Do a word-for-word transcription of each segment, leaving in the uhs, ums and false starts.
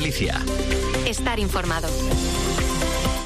Galicia. Estar informado.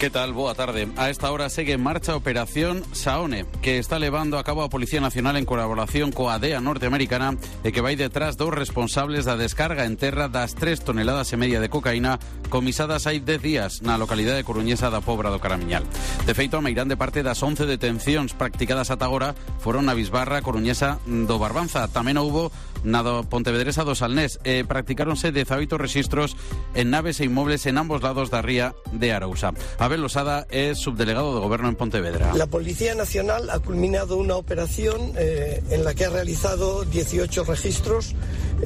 Que tal? Boa tarde. A esta hora segue en marcha a Operación Saone, que está levando a cabo a Policía Nacional en colaboración coa D E A norteamericana e que vai detrás dos responsables da descarga en terra das tres toneladas e media de cocaína comisadas hai dez días na localidade coruñesa da Pobra do Caramiñal. De feito, a meirán de parte das once detencións practicadas ata agora foron na bisbarra coruñesa do Barbanza. Tamén houbo na do Pontevedresa do Salnés e practicáronse dezaoito rexistros en naves e inmobles en ambos lados da ría de Arousa. Abel Losada es subdelegado de Gobierno en Pontevedra. La Policía Nacional ha culminado una operación eh, en la que ha realizado dieciocho registros,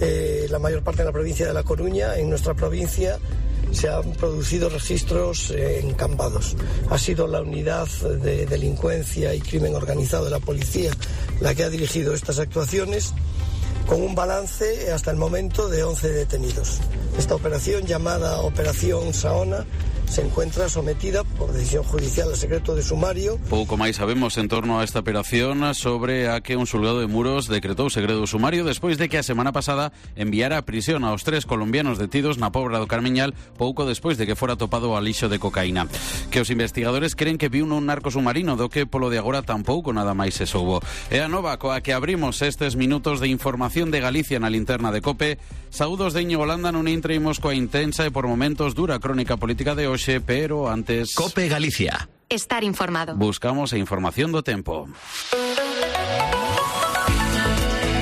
eh, la mayor parte en la provincia de La Coruña. En nuestra provincia se han producido registros eh, en Cambados. Ha sido la unidad de delincuencia y crimen organizado de la policía la que ha dirigido estas actuaciones, con un balance hasta el momento de once detenidos. Esta operación, llamada Operación Saona, se encuentra sometida por decisión judicial al secreto de sumario. Pouco máis sabemos en torno a esta operación, sobre a que un xulgado de Muros decretou segredo sumario despois de que a semana pasada enviara a prisión aos tres colombianos detidos na Pobra do Carmiñal pouco despois de que fora topado o alixo de cocaína. Que os investigadores creen que viu un narco submarino, do que polo de agora tampouco nada máis se soubo. É a nova coa que abrimos estes minutos de información de Galicia na linterna de COPE. Saúdos de Íñigo Landa, nun intraímos coa intensa e por momentos dura crónica política de hoxe, pero antes... COPE Galicia. Estar informado. Buscamos a información do tempo.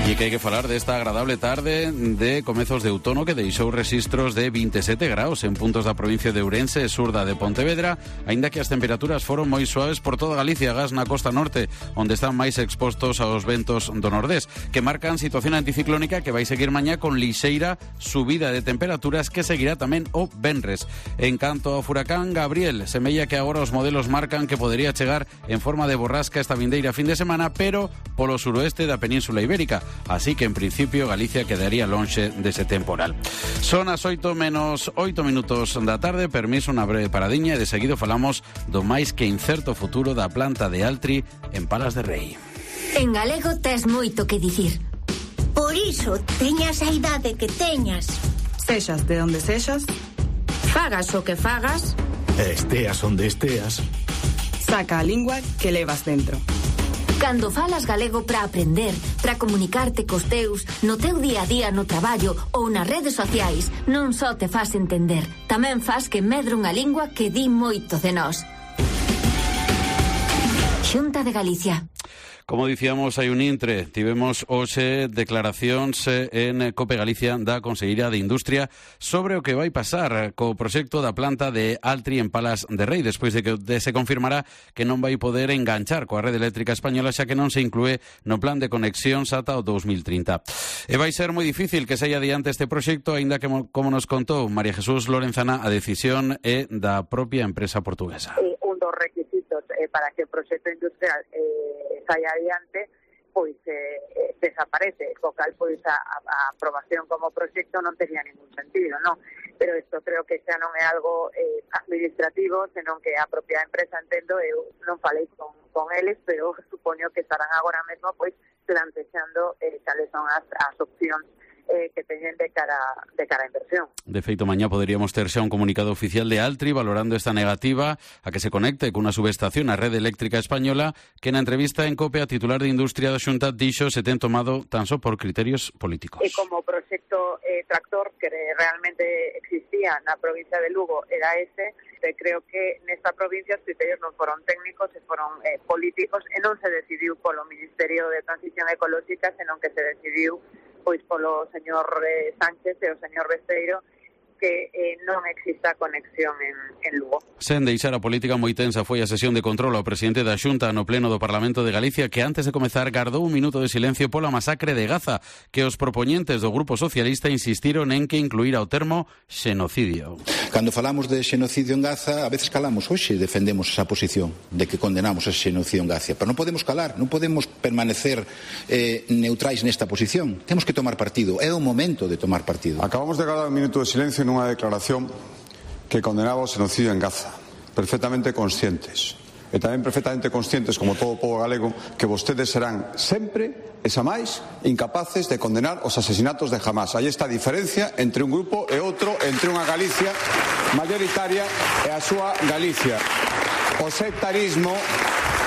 E que hai que falar desta agradable tarde de comezos de outono que deixou rexistros de vinte e sete graus en puntos da provincia de Ourense e sur da de Pontevedra, aínda que as temperaturas foron moi suaves por toda Galicia, agás na costa norte, onde están máis expostos aos ventos do nordés, que marcan situación anticiclónica que vai seguir mañá con lixeira subida de temperaturas que seguirá tamén o venres. En canto ao furacán Gabriel, semella que agora os modelos marcan que podería chegar en forma de borrasca esta vindeira fin de semana, pero polo suroeste da Península Ibérica. Así que en principio Galicia quedaría lonxe dese temporal. Son as oito menos oito minutos da tarde, permiso unha breve paradiña e de seguido falamos do máis que incerto futuro da planta de Altri en Palas de Rei. En galego tes moito que dicir. Por iso, teñas a idade que teñas. Sexas de onde sexas, Fagas o que fagas, esteas onde esteas, saca a lingua que levas dentro. Cando falas galego para aprender, para comunicarte cos teus, no teu día a día no traballo ou nas redes sociais, non só te fas entender, tamén fas que medre unha lingua que di moito de nós. Xunta de Galicia. Como dicíamos, hai un intre. Tivemos hoxe declaracións en COPE Galicia da Conselleira de Industria sobre o que vai pasar co proxecto da planta de Altri en Palas de Rei, despois de que se confirmará que non vai poder enganchar coa rede eléctrica española, xa que non se inclúe no plan de conexións ata o dous mil trinta. E vai ser moi difícil que saia adiante este proxecto, aínda que, como nos contou María Jesús Lorenzana, a decisión é da propia empresa portuguesa. Eh, un dos requisitos eh, para que o proxecto industrial eh, saia adiante, pois eh, eh, desaparece, co cal pois a, a aprobación como proxecto non tenía ningún sentido, non? Pero isto creo que xa non é algo eh, administrativo, senón que a propia empresa, entendo, eu non falei con, con eles, pero supoño que estarán agora mesmo pois plantexando eh, cales son as, as opcións Eh, que teñen de cara de cara a inversión. De feito, mañá poderíamos ter xa un comunicado oficial de Altri valorando esta negativa a que se conecte cunha subestación á rede eléctrica española, que na entrevista en COPE a titular de Industria da Xunta dixo se ten tomado tan só por criterios políticos. E como proxecto eh, tractor que realmente existía na provincia de Lugo era ese, eh, creo que nesta provincia os criterios non foron técnicos, e foron eh, políticos, e non se decidiu polo Ministerio de Transición Ecolóxica, senón que se decidiu pois polo señor eh, Sánchez e o señor Besteiro, que eh, non exista conexión en, en Lugo. Sen deixar a política moi tensa foi a sesión de control ao presidente da Xunta no pleno do Parlamento de Galicia, que antes de comezar gardou un minuto de silencio pola masacre de Gaza, que os propoñentes do Grupo Socialista insistiron en que incluíra o termo xenocidio. Cando falamos de xenocidio en Gaza, a veces calamos. Hoxe defendemos esa posición de que condenamos ese xenocidio en Gaza, pero non podemos calar, non podemos permanecer eh, neutrais nesta posición. Temos que tomar partido, é o momento de tomar partido. Acabamos de gardar un minuto de silencio nunha declaración que condenaba o xenocidio en Gaza, perfectamente conscientes, e tamén perfectamente conscientes, como todo o pobo galego, que vostedes serán sempre e xa máis incapaces de condenar os asesinatos de Hamás. Aí está a diferencia entre un grupo e outro, entre unha Galicia mayoritaria e a súa Galicia. O sectarismo,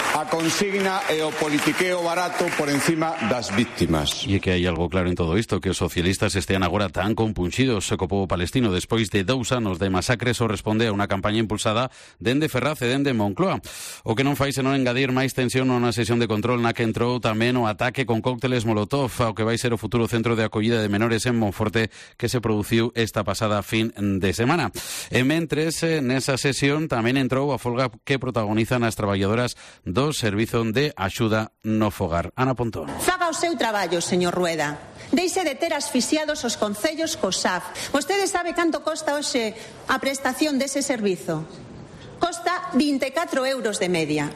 a consigna e o politiqueo barato por encima das víctimas. E é que hai algo claro en todo isto, que os socialistas estean agora tan compunxidos co pobo palestino despois de dous anos de masacres ou responde a unha campaña impulsada dende Ferraz e dende Moncloa. O que non fai senón engadir máis tensión nunha sesión de control na que entrou tamén o ataque con cócteles Molotov ao que vai ser o futuro centro de acollida de menores en Monforte que se produciu esta pasada fin de semana. E mentres, nesa sesión tamén entrou a folga que protagonizan as traballadoras do Servizo de Axuda no Fogar. Ana Pontón. Faga o seu traballo, señor Rueda. Deixe de ter asfixiados os concellos co S A F. Vostede sabe canto costa hoxe a prestación dese servizo? Costa vinte e catro euros de media.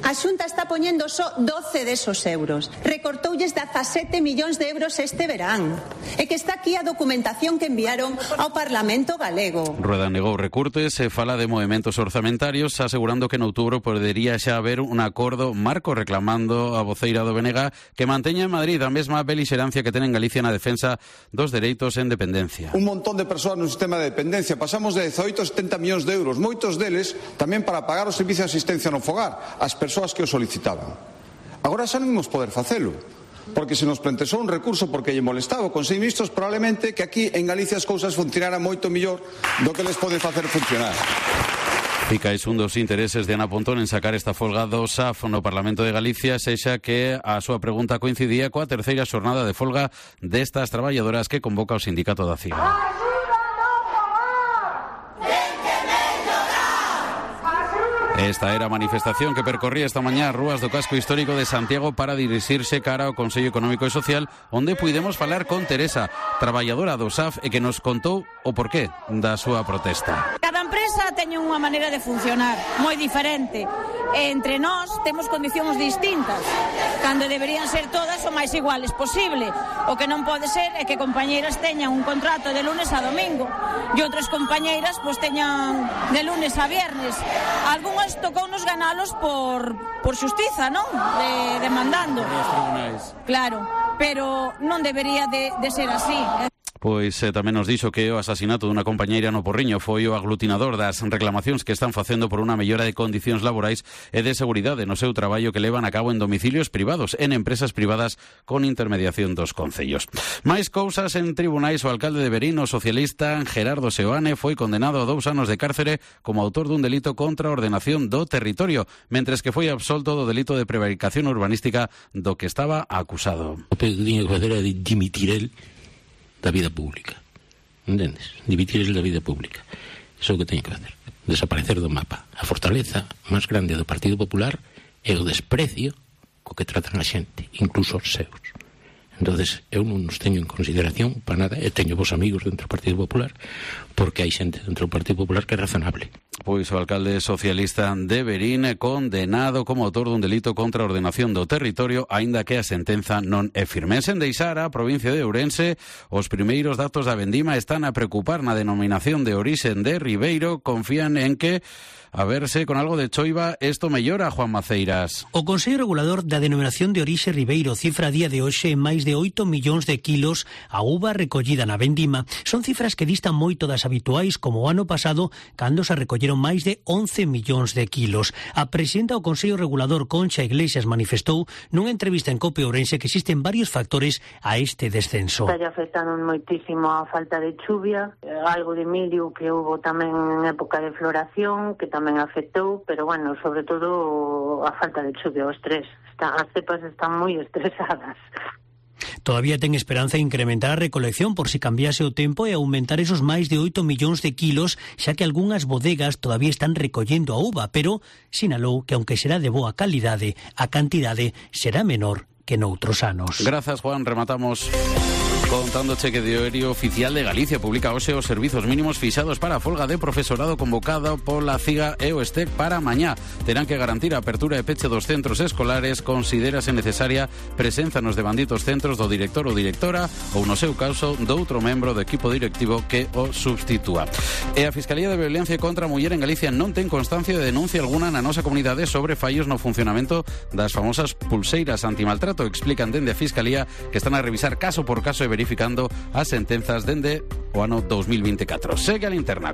A Xunta está poñendo só doce desos euros. Recortoulles dezasete millóns de euros este verán. E que está aquí a documentación que enviaron ao Parlamento galego. Rueda negou recurtes e fala de movementos orzamentarios, asegurando que en outubro podería xa haber un acordo marco, reclamando a voceira do B N G que manteña en Madrid a mesma belixerancia que ten en Galicia na defensa dos dereitos en dependencia. Un montón de persoas no sistema de dependencia. Pasamos de dezaoito a setenta millóns de euros, moitos deles tamén para pagar o servicio de asistencia no fogar, as persoas que o solicitaban. Agora xa non imos poder facelo, porque se nos plantexou un recurso porque lle molestaba o Consello de Ministros, probablemente que aquí en Galicia as cousas funcionaran moito mellor do que les pode facer funcionar. Fica un dos intereses de Ana Pontón en sacar esta folga do S A F no Parlamento de Galicia, sexa que a súa pregunta coincidía coa terceira xornada de folga destas traballadoras que convoca o sindicato da C I A. Esta era a manifestación que percorría esta mañá as rúas do casco histórico de Santiago para dirixirse cara ao Consello Económico e Social, onde puidemos falar con Teresa, traballadora do S A F, e que nos contou o porqué da súa protesta. Cada empresa teñe unha maneira de funcionar moi diferente. E entre nós temos condicións distintas, cando deberían ser todas o máis iguales posible. O que non pode ser é que compañeiras teñan un contrato de lunes a domingo e outras compañeiras pois teñan de lunes a viernes. Algúnas tocounos ganalos por, por xustiza, non? De, demandando. Claro, pero non debería de, de ser así. Pois eh, tamén nos dixo que o asasinato dunha compañeira no Porriño foi o aglutinador das reclamacións que están facendo por unha mellora de condicións laborais e de seguridade no seu traballo que levan a cabo en domicilios privados, en empresas privadas con intermediación dos concellos. Máis cousas en tribunais. O alcalde de Verín, o socialista Gerardo Seoane, foi condenado a dous anos de cárcere como autor dun delito contra a ordenación do territorio, mentres que foi absolto do delito de prevaricación urbanística do que estaba acusado. O que tiña que facer era dimitir el da vida pública, entendes? Dimitir el da vida pública. Iso é o que teño que facer, desaparecer do mapa. A fortaleza máis grande do Partido Popular é o desprecio co que tratan a xente, incluso os seus. Entonces, eu non nos teño en consideración para nada, e teño vos amigos dentro do Partido Popular, porque hai xente dentro do Partido Popular que é razonable. Pois o alcalde socialista de Verín condenado como autor dun delito contra a ordenación do territorio, aínda que a sentenza non é firme. En deixar a provincia de Ourense, os primeiros datos da vendima están a preocupar. Na denominación de orixe de Ribeiro confían en que, a verse con algo de choiva, isto mellora, Juan Maceiras. O Consello Regulador da Denominación de Orixe Ribeiro cifra a día de hoxe en máis de oito millóns de kilos a uva recollida na vendima. Son cifras que distan moito das habituais, como o ano pasado, cando se recolleron máis de once millóns de kilos. A presidenta do Consello Regulador, Concha Iglesias, manifestou nunha entrevista en Cope Ourense que existen varios factores a este descenso. Está afectando moitísimo a falta de chuvia, algo de milio que hubo tamén en época de floración, que tamén tamén afectou, pero bueno, sobre todo a falta de chuvia, o estrés. Está, as cepas están moi estresadas. Todavía ten esperanza en incrementar a recolección por si cambiase o tempo e aumentar esos máis de oito millóns de kilos, xa que algunhas bodegas todavía están recollendo a uva, pero sinalou que aunque será de boa calidade, a cantidade será menor que noutros anos. Grazas, Juan. Rematamos Contando cheque diario oficial de Galicia, publica hoxe os servizos mínimos fixados para a folga de profesorado convocada pola CIGA e o ESTEC para mañá. Terán que garantir a apertura e peche dos centros escolares, considérase necesaria presenza nos devanditos centros do director ou directora ou, no seu caso, do outro membro do equipo directivo que o substitúa. E a Fiscalía de Violencia contra a Muller en Galicia non ten constancia de denuncia alguna na nosa comunidade sobre fallos no funcionamento das famosas pulseiras antimaltrato. Explican dende a Fiscalía que están a revisar caso por caso e verificando as sentenzas dende o ano dos mil veinticuatro. Segue a linterna.